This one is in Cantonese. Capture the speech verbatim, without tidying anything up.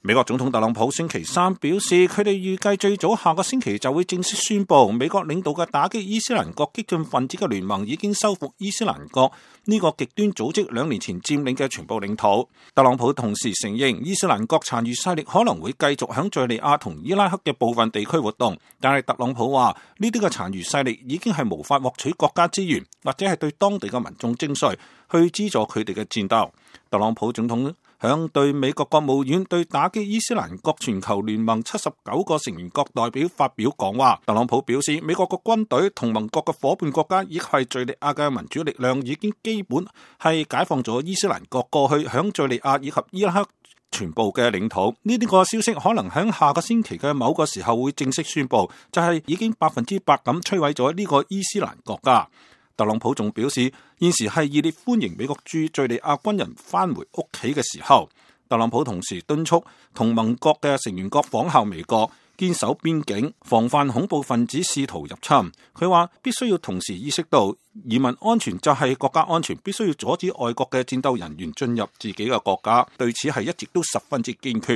美國總統特朗普星期三表示，佢哋預計最早下個星期就會正式宣布，美國領導嘅打擊伊斯蘭國激進分子嘅聯盟已經收復伊斯蘭國呢個極端組織兩年前佔領嘅全部領土。特朗普同時承認，伊斯蘭國殘餘勢力可能會繼續響敘利亞同伊拉克嘅部分地區活動，但係特朗普話呢啲嘅殘餘勢力已經係無法獲取國家資源，或者係對當地嘅民眾徵稅去資助佢哋嘅戰鬥。特朗普總統響對美國國務院對打擊伊斯蘭國全球聯盟七十九個成員國代表發表講話。特朗普表示，美國嘅軍隊同盟國嘅夥伴國家以及係敘利亞嘅民主力量已經基本係解放咗伊斯蘭國過去響敘利亞以及伊拉克全部嘅領土。呢啲個消息可能響下個星期嘅某個時候會正式宣布，就係、是、已經百分之百咁摧毀咗呢個伊斯蘭國家。特朗普仲表示，現時係熱烈歡迎美國駐敘利亞軍人返回屋企嘅時候。特朗普同時敦促同盟國嘅成員國仿效美國，堅守邊境，防範恐怖分子試圖入侵。佢話必須要同時意識到移民安全就係國家安全，必須要阻止外國嘅戰鬥人員進入自己嘅國家。對此係一直都十分之堅決。